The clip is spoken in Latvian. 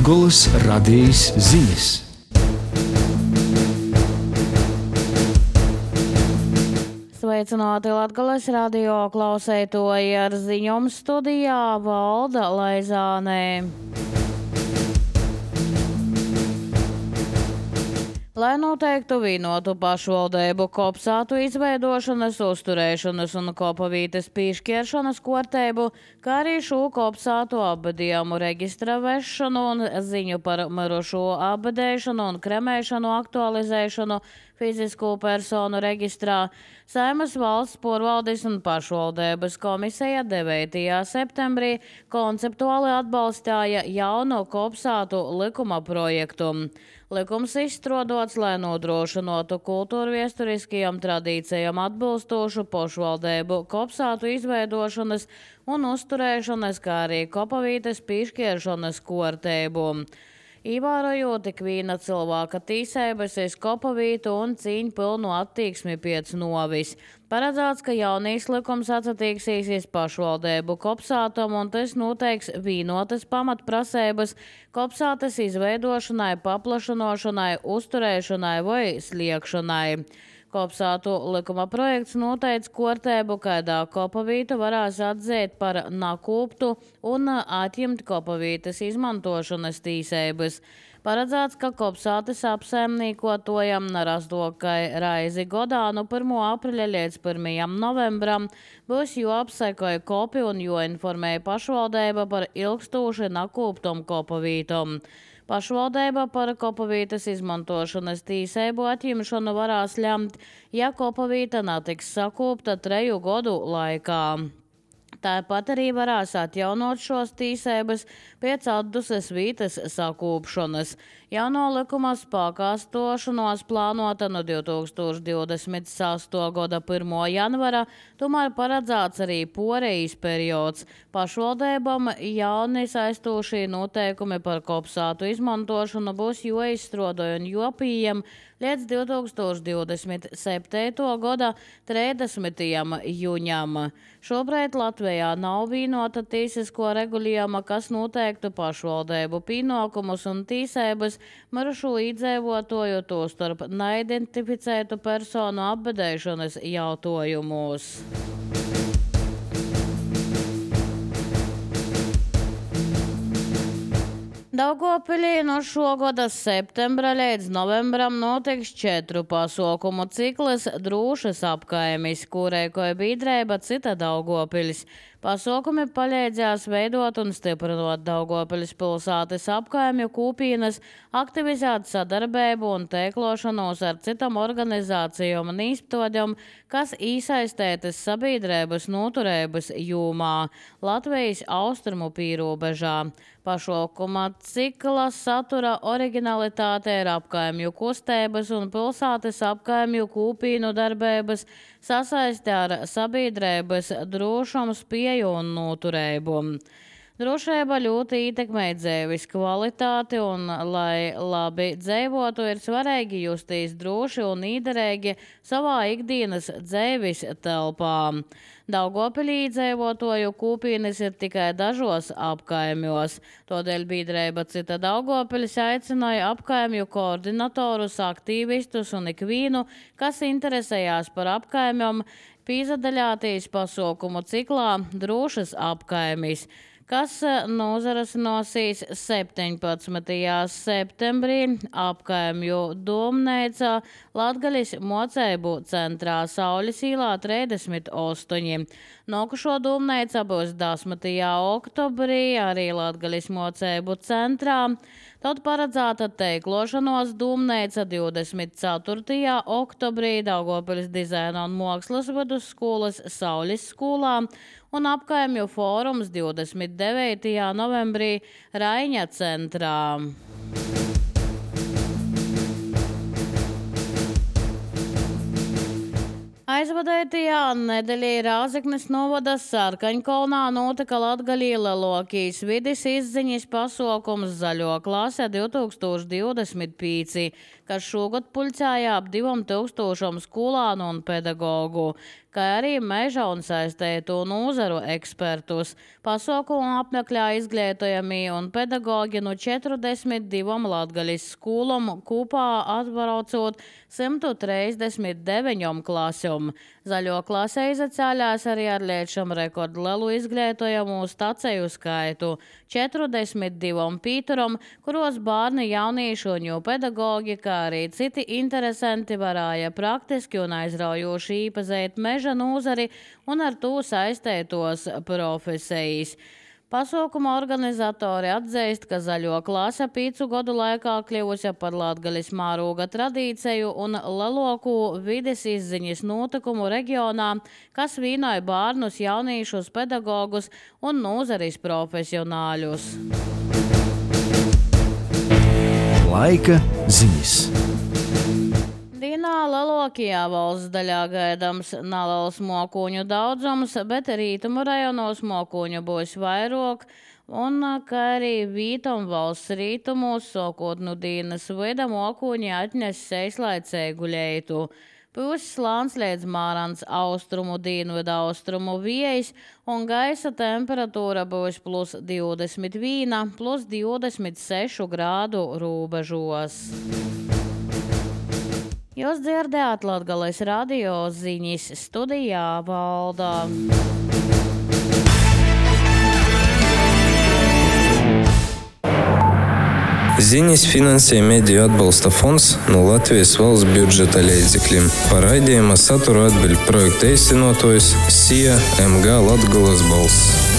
Latgolas radijas ziņas. Sveicināti Latgolas radio klausētoji, ar ziņām studijā Valda Laizānē. Lai noteiktu vienotu pašvaldību kopsātu izveidošanas, uzturēšanas un kopavītes pīšķieršanas kārtību, kā arī šo kopsātu abadījumu reģistra vešanu un ziņu par mirušo abadēšanu un kremēšanu aktualizēšanu fizisku personu reģistrā, Saeimas valsts porvaldes un pašvaldības komisija 9. septembrī konceptuāli atbalstīja jaunu kopsātu likuma projektu. Likums izstrādots, lai nodrošinātu kultūrviesturiskajām tradīcijām atbilstošu pašvaldību kopsātu izveidošanas un uzturēšanas, kā arī kopavītes pīšķieršanas kārtību. Ievērojot ikviena cilvēka tiesības uz kopavītu un cīņu pilnu attieksmi pēc novis. Paredzēts, ka jaunīs likums atsatīksīsies pašvaldību kopsātam un tas noteiks vienotas pamatprasības kopsātas izveidošanai, paplašanošanai, uzturēšanai vai sliekšanai. Kopsātu likuma projekts noteica kārtību, kādā kopavītu varēs atzīt par nakūptu un atņemt kopavītes izmantošanas tiesības. Paredzēts, ka kopsātes apsaimniekotojam rastokai raizi godā no 1. aprīļa līdz 1. novembram būs jāapsekoja kopi un jāinformē pašvaldība par ilgstoši nakūptom kopavītom. Pašvaldība par kopavītes izmantošanas tiesību atņemšanu varēs lemt, ja kopavīta netiks sakūpta 3 gadu laikā. Tāpat arī varēs atjaunot šos tiesības pēc atduses vītes sakūpšanas. Jauno likuma spēkā stošanos plānota no 2026. gada 1. janvara, tomēr paredzēts arī porejas periods. Pašvaldībām jauni saistošie noteikumi par kopsātu izmantošanu būs jāizstrādā un jāpieņem līdz 2027. gada 30. jūņam. Šobrīd Latvijā nav vienota tiesisko regulējuma, kas noteiktu pašvaldību pienākumus un tiesības mirušo iedzīvotāju, tostarp neidentificētu personu apbedēšanas jautājumos. Daugavpilī no šogada septembra līdz novembram notiks 4 pasaukumu cikls Drūšas apkaimis, kurai kā biedrība cita Daugavpilis. Pasaukumi palīdzēs veidot un stiprinot Daugavpilis pilsētas apkaimju kopienas, aktivizēt sadarbību un tīklošanos ar citām organizācijām un īstotiem, kas iesaistētas sabiedrības noturības jomā Latvijas austrumu pīrobežā. Pašaukuma cikla satura originalitāte ir apkaimju kustības un pilsētas apkaimju kopīnu darbības sasaistē ar sabiedrības drošumu, spēju un noturību. Drošība ļoti ietekmē dzīves kvalitāti un, lai labi dzīvotu, ir svarīgi justies droši un īderīgi savā ikdienas dzīves telpā. Daugavpilī dzīvotāju kopienas ir tikai dažos apkaimjos. Tādēļ biedrība cita Daugavpilis aicināja apkaimju koordinatorus, aktīvistus un ikvienu, kas interesējās par apkaimjom, piedalīties pasaukumu ciklā Drūšas apkaimis, kas nozaras 17. septembrī apkaimju domnīcā Latgalis moceibu centrā Saules īlā 38. Nokušo domnīca būs 10. oktobrī arī Latgalis moceibu centrā. Tad paredzēta teiklošanos domnīca 24. oktobrī Daugavpilis dizaina un mākslas vidusskolas Saules skolā un apkaimju fórums 29. novembrī Raiņa centrā. Aizvadētajā nedēļā Rāzeknes novada Sarkaņkalnā notika Latgalī lielākais vides izziņas pasaukums Zaļo klase 2025, kas šogad pulcēja ap 2000 skolānu un pedagogu. kā arī meža un saistētu nozaru ekspertus. Pasaukumu apmeklē izglītojami un pedagogi no 42 Latgalis skolom, kopā atbraucot 139 klasēm. Zaļo klasē izacēļās arī ar liečam rekordlielu izglītojamu staciju skaitu – 42 pīturam, kuros bērni, jaunieši un jau pedagogi, kā arī citi interesanti varēja praktiski un aizraujoši īpazēt meža nozari un ar to saistētos profesijas. Pasaukuma organizatori atzīst, ka zaļo klase 5 gadu laikā kļuvusi par Latgalis mēroga tradīciju un lielāko vides izziņas notikumu reģionā, kas vienoja bērnus, jauniešus, pedagogus un nozares profesionāļus. Laika ziņas. Dienā lielākajā valsts daļā gaidāms neliels mokuņu daudzums, bet rītumu rajonos mokuņu būs vairāk, un kā arī vītam valsts rītumos, sākot no dienas vida, mokuņi atnes seislaicēgu leitu. Pūs slāns līdz mārans austrumu dienvidu austrumu vējs, un gaisa temperatūra būs plus 21, plus 26 grādu robežos. Jūs dzirdējāt Latgales radio ziņas, studijā Valda. Ziņas finansē Mediju atbalsta fonds no Latvijas valsts budžeta līdzekļiem. Par raidījuma saturu atbild projekta īstenotājs SIA MG Latgales balss.